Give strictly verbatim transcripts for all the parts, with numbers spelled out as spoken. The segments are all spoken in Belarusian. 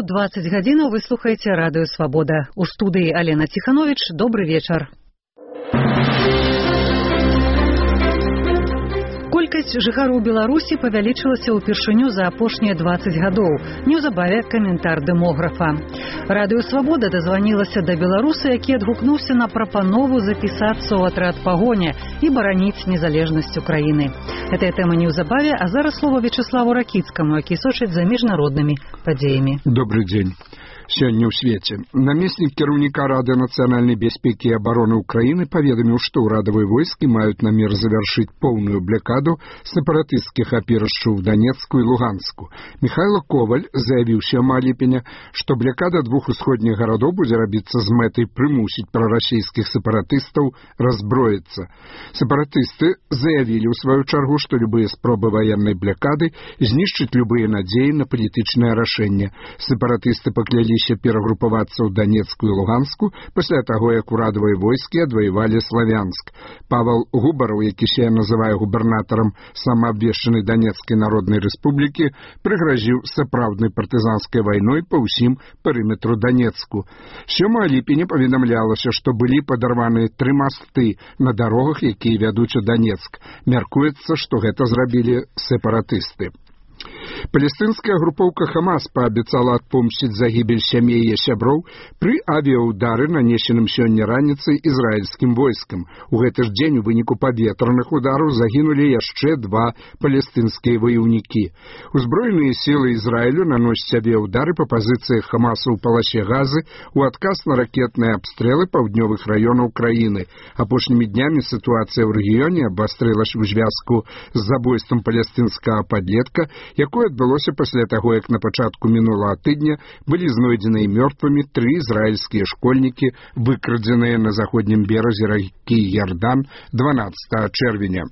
двадцать гадзінаў вы слухаеце радыё Свабода. У студыі Алена Ціхановіч. Добры вечар. Колькасць жыхароў Беларусі павялічылася ўпершыню за апошнія двадцать гадоў. Неўзабаве каментар дэмографа. Радыё Свабода дазванілася да беларуса, які адгукнуўся на прапанову запісацца ў атрад пагоня і бараніць незалежнасць Украіны. Гэтая тэма неўзабаве, а зараз слова Вячеславу Ракіцкаму, які сочыць за міжнароднымі падзеямі. Добрый дзень. Сёння ў свеце намеснік кіраўніка Рады нацыянальнай бяспекі і абароны Украіны паведаміў, што ўрадавыя войскі маюць намер завяршыць поўную блакаду сепаратысцкіх апірышчаў у Донецку і Луганску. Михайло Коваль заявіў сёмага ліпеня, што блакада двух усходніх гарадоў будзе рабіцца з мэтай прымусіць прарасійскіх сепаратыстаў разброіцца. Сепаратысты заявілі ў сваю чаргу, што любыя спробы ваеннай блакады знішчаць любыя надзеі на палітычнае рашэнне. Сепаратысты паклялі перагрупавацца ў Донецку і Луганску пасля таго, як урадавыя войскі адваявалі Славянск. Павел Губараў, які сёння называе губернатарам самаабвешчанай Донецкай народнай рэспублікі, прыгразіў сапраўднай партызанскай вайной па ўсім перыметру Донецку. сёмага ліпеня паведамлялася, што былі падарваныя тры масты на дарогах, якія вядуць у Донецк. Мяркуецца, што гэта зрабілі сепаратысты. Палестынская групоўка Хамас паабяцала адпомсціць загібель сямей яе сяброў пры авіяудары, нанесеным сёння раніцай ізраільскім войскам. У гэты ж дзень у выніку паветраных удараў загінулі яшчэ два палестынскія ваяўнікі. Узброеныя сілы Ізраілю наносяць авіяудары па пазіцыях Хамаса ў паласе Газы у адказ на ракетныя абстрэлы паўднёвых раёнаў краіны. Апошнімі днямі сітуацыя ў рэгіёне абвастрылася ў звязку з забойствам палестынскага падлетка, якое адбылося пасля таго, як на пачатку мінулага тыдня былі знойдзеныя мёртвымі тры ізраільскія школьнікі, выкрадзеныя на заходнім беразе ракі Ярдан дванаццатага чэрвеня.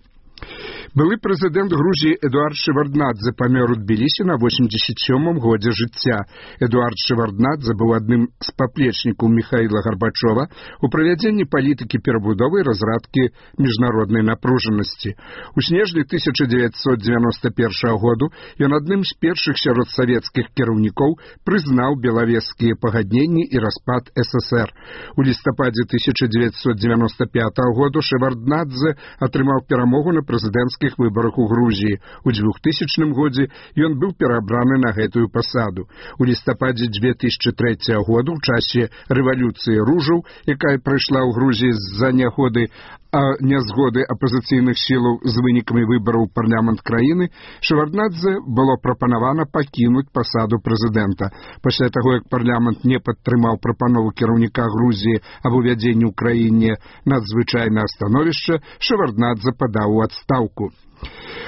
Былы прэзідэнт Грузіі Эдуард Шеварднадзе памёр у Тбілісі на восемьдесят сёмым годзе жыцця. Эдуард Шеварднадзе быў адным з паплечнікаў Міхаіла Гарбачова у правядзенні палітыкі перабудовы і разрадкі міжнароднай напружанасці. У снежні тысяча дзевяцьсот дзевяноста першага году ён адным з першых сярод савецкіх кіраўнікоў прызнаў белавежскія пагадненні і распад эс эс эр. У лістападзе тысяча дзевяцьсот дзевяноста пятага году Шеварднадзе атрымаў перамогу на прэзідэнцкіх выбарах у Грузіі. У двухтысячным годзе ён быў перабраны на гэтую пасаду. У лістападзе дзве тысячы трэцяга году, ў часе рэвалюцыі ружаў, якая прайшла ў Грузіі з-за нягоды а нязгоды апазіцыйных сілаў з вынікамі выбараў у парламент краіны, Шеварднадзе было прапанавана пакінуць пасаду прэзідэнта. Пасля таго, як парламент не падтрымаў прапанову кіраўніка Грузіі аб увядзенні ў краіне надзвычайнае становішча, Шеварднадзе падаў у адстаўку.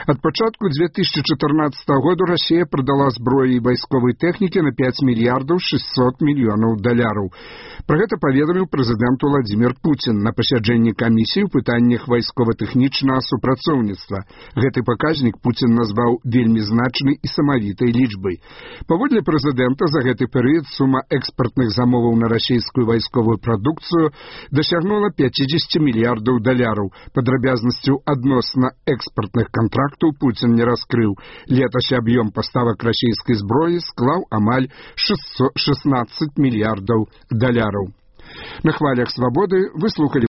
Ад пачатку дзве тысячы чатырнаццатага году Расія прадала зброі і вайсковай тэхнікі на пяць мільярдаў шэсцьсот мільёнаў даляраў. Пра гэта паведаміў прэзідэнт Уладзімір Пуцін на пасяджэнні камісіі ў пытаннях вайскова-тэхнічнага супрацоўніцтва. Гэты паказнік Пуцін назваў вельмі значнай і самавітай лічбай. Паводле прэзідэнта, за гэты перыяд сума экспартных замоваў на расійскую вайсковую прадукцыю дасягнула пяцьдзесят мільярдаў даляраў. Падрабязнасцяў адносна экспартных контрактаў Пуцін не раскрыў. Летась аб'ём паставак расійскай зброі склаў амаль шэсцьсот шаснаццаць мільярдаў даляраў. На хвалях Свабоды вы слухалі